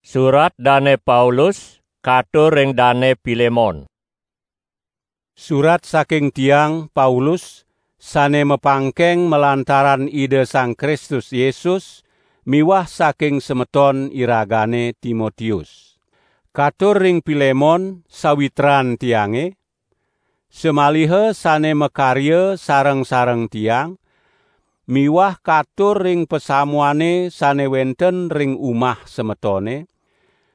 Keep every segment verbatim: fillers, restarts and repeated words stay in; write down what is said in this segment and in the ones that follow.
Surat Dane Paulus katur ring Dane Pilemon. Surat saking tiang, Paulus, sane mapangkeng malantaran Ida Sang Kristus Yesus, miwah saking semeton iragane Timotius. Katur ring Pilemon, sawitran tiange, samaliha sane makarya sareng-sareng tiang, miwah katur ring pasamuane sane wenten ring umah semetone,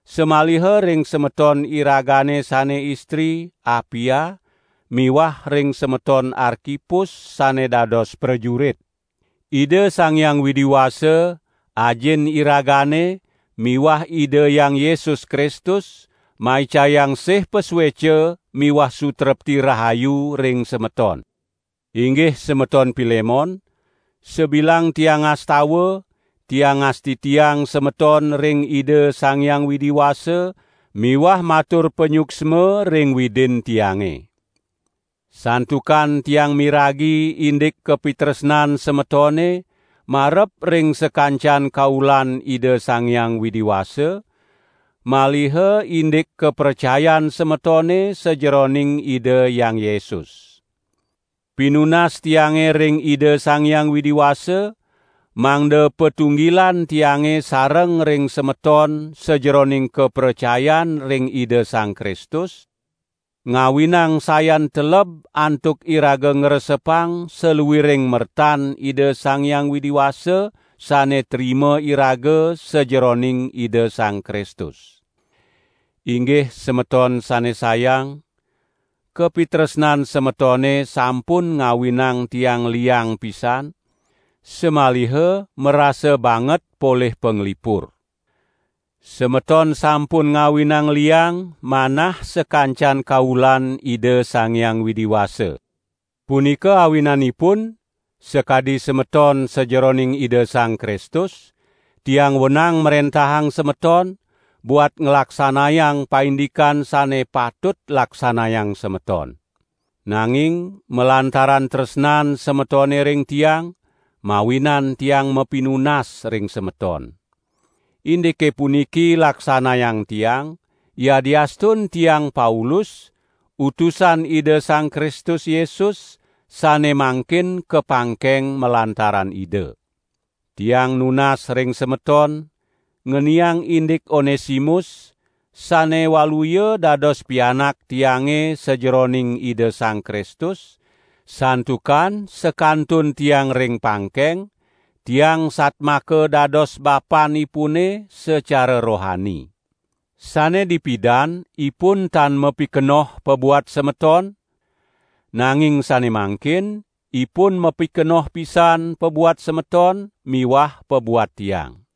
samaliha ring semeton iragane sane istri, Apia, miwah ring semeton Arkipus sane dados prajurit. Ida Sang Hyang Widi Wasa, Ajin iragane, miwah Ida Hyang Yesus Kristus, maicayang sih pasueca miwah sutrepti rahayu ring semeton. Inggih semeton Pilemon, sabilang tiang ngastawa, tiang ngastitiang semeton ring Ida Sang Hyang Widi Wasa, miwah matur panyuksma ring Widin tiange. Santukan tiang miragi indik kapitresnan semetone marep ring sakancan kaulan Ida Sang Hyang Widi Wasa, maliha indik kapracayan semetone sajeroning Ida Hyang Yesus. Pinunas tiange ring Ida Sang Hyang Widi Wasa, mangda patunggilan tiange sareng ring semeton sajeroning kapracayan ring Ida Sang Kristus, ngawinang sayan teleb antuk iraga ngresepang saluiring mertan Ida Sang Hyang Widi Wasa sane trima iraga sajeroning Ida Sang Kristus. Inggih semeton sane sayang, kapitresnan semetone sampun ngawinang tiang liang pisan, samaliha marasa banget polih panglipur. Semeton sampun ngawinang liang manah sakancan kaulan Ida Sang Hyang Widi Wasa. Punika awinanipun, sakadi semeton sajeroning Ida Sang Kristus, tiang wenang mrentahang semeton buat nglaksanayang paindikan sane patut laksanayang semeton. Nanging malantaran tresnan semetone ring tiang, mawinan tiang mapinunas ring semeton. Indike puniki laksanayang tiang, yadiastun tiang Paulus, utusan Ida Sang Kristus Yesus, sane mangkin kapangkeng malantaran Ida. Tiang nunas ring semeton, ngeniang indik Onesimus, sane waluya dados pianak tiange sajeroning Ida Sang Kristus, santukan sakantun tiang ring pangkeng, tiang satmaka dados bapanipune sacara rohani. Sane dipidan ipun tan mapikenoh pabuat semeton, nanging sane mangkin ipun mapikenoh pisan pabuat semeton miwah pabuat tiang.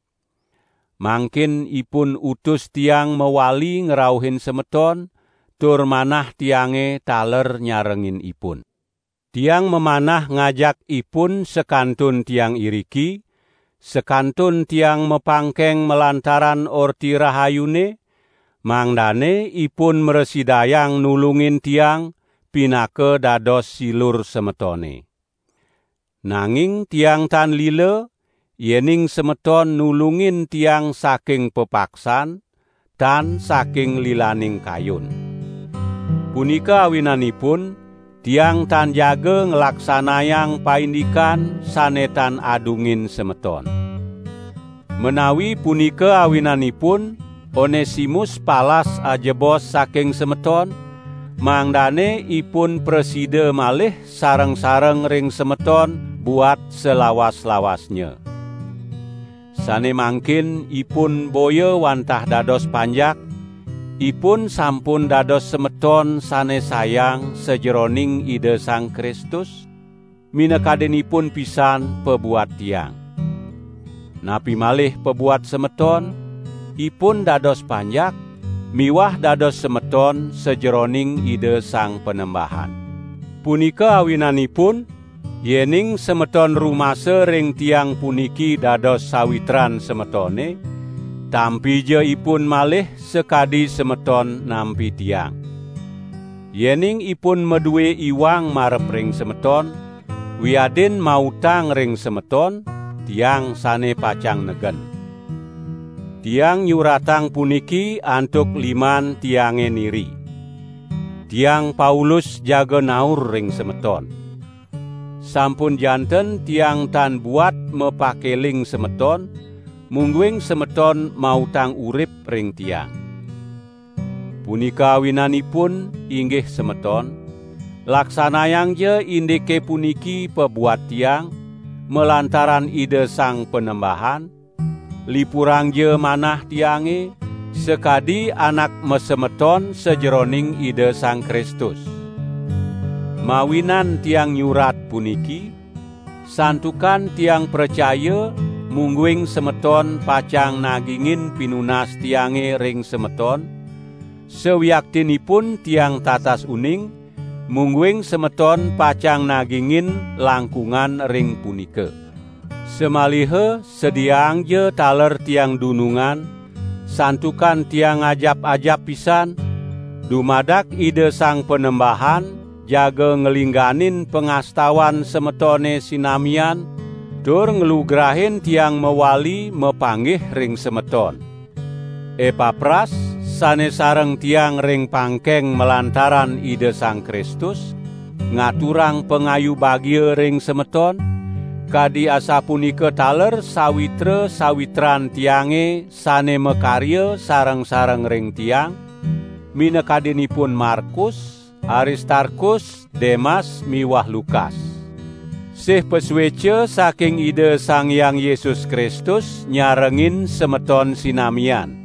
Mangkin ipun utus tiang mawali ngrauhin semeton, tur manah tiange taler nyarengin ipun. Tiang mamanah ngajak ipun sakantun tiang iriki, sakantun tiang mapangkeng malantaran Orti Rahayune, mangdane ipun mrasidayang nulungin tiang pinaka dados silur semetone. Nanging tiang tan lila, yening semeton nulungin tiang saking pepaksan, tan saking lilaning kayun. Punika awinanipun, tiang tan jaga nglaksanayang paindikan sane tan adungin semeton. Menawi punika awinanipun, Onesimus palas ajebos saking semeton, mangdane ipun prasida malih sareng-sareng ring semeton buat salawas-lawasnya. Sane mangkin ipun boya wantah dados panjak, ipun sampun dados semeton sane sayang sajeroning Ida Sang Kristus, minakadinipun pisan pabuat tiang. Napi malih pabuat semeton, ipun dados panjak, miwah dados semeton sajeroning Ida Sang Panembahan. Punika awinanipun, yening semeton rumasa ring tiang puniki dados sawitran semetone, tampija ipun malih sakadi semeton nampi tiang. Yening ipun madue iwang marep ring semeton, wiadin mautang ring semeton, tiang sane pacang negen. Tiang nyuratang puniki antuk liman tiange niri. Tiang Paulus jaga naur ring semeton. Sampun janten tiang tan buat mapakeling semeton, mungguing semeton mautang urip ring tiang. Punika awinanipun, inggih semeton, laksanayangja indike puniki pabuat tiang, malantaran Ida Sang Panembahan, lipurangja manah tiange, sakadi anak masemeton sajeroning Ida Sang Kristus. Mawinan tiang nyurat puniki, santukan tiang pracaya, mungguing semeton pacang nagingin pinunas tiange ring semeton, sawiaktinipun tiang tatas uning, mungguing semeton pacang nagingin langkungan ring punika. Samaliha sediaangja taler tiang dunungan, santukan tiang ajap-ajap pisan, dumadak Ida Sang Panembahan jaga nglingganin pangastawan semetone sinamian, tur nglugrahin tiang mawali mapanggih ring semeton. Epapras, sane sareng tiang ring pangkeng malantaran Ida Sang Kristus, ngaturang pangayu bagia ring semeton, kadi asapunika taler sawitra-sawitran tiange sane makarya sareng-sareng ring tiang, minakadinipun Markus, Aristarkus, Demas miwah Lukas. Sih pasueca saking Ida Sang Hyang Yesus Kristus nyarengin semeton sinamian.